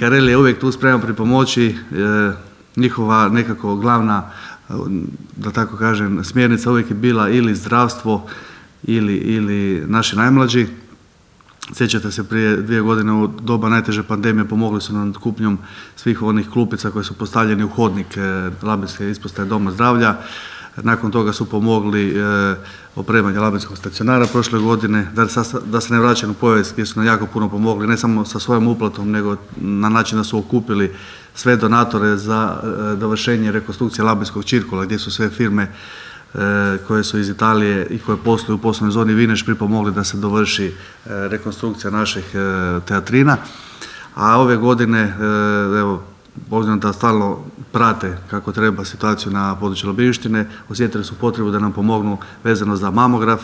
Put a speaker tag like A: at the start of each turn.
A: Karel je uvijek tu spreman pripomoći. Njihova nekako glavna, da tako kažem, smjernica uvijek je bila ili zdravstvo ili naši najmlađi. Sjećate se, prije 2 godine u doba najteže pandemije pomogli su nam kupnjom svih onih klupica koje su postavljeni u hodnik Labinske ispostave Doma zdravlja. Nakon toga su pomogli opremanje Labinskog stacionara prošle godine. Da se ne vraćam u povijest, gdje su nam jako puno pomogli, ne samo sa svojom uplatom, nego na način da su okupili sve donatore za dovršenje rekonstrukcije Labinskog Čirkola, gdje su sve firme koje su iz Italije i koje posluju u poslovnoj zoni Vineš pripomogli da se dovrši rekonstrukcija naših teatrina. A ove godine, evo, obzirom da stalno prate kako treba situaciju na području Labinštine, osjetili su potrebu da nam pomognu vezano za mamograf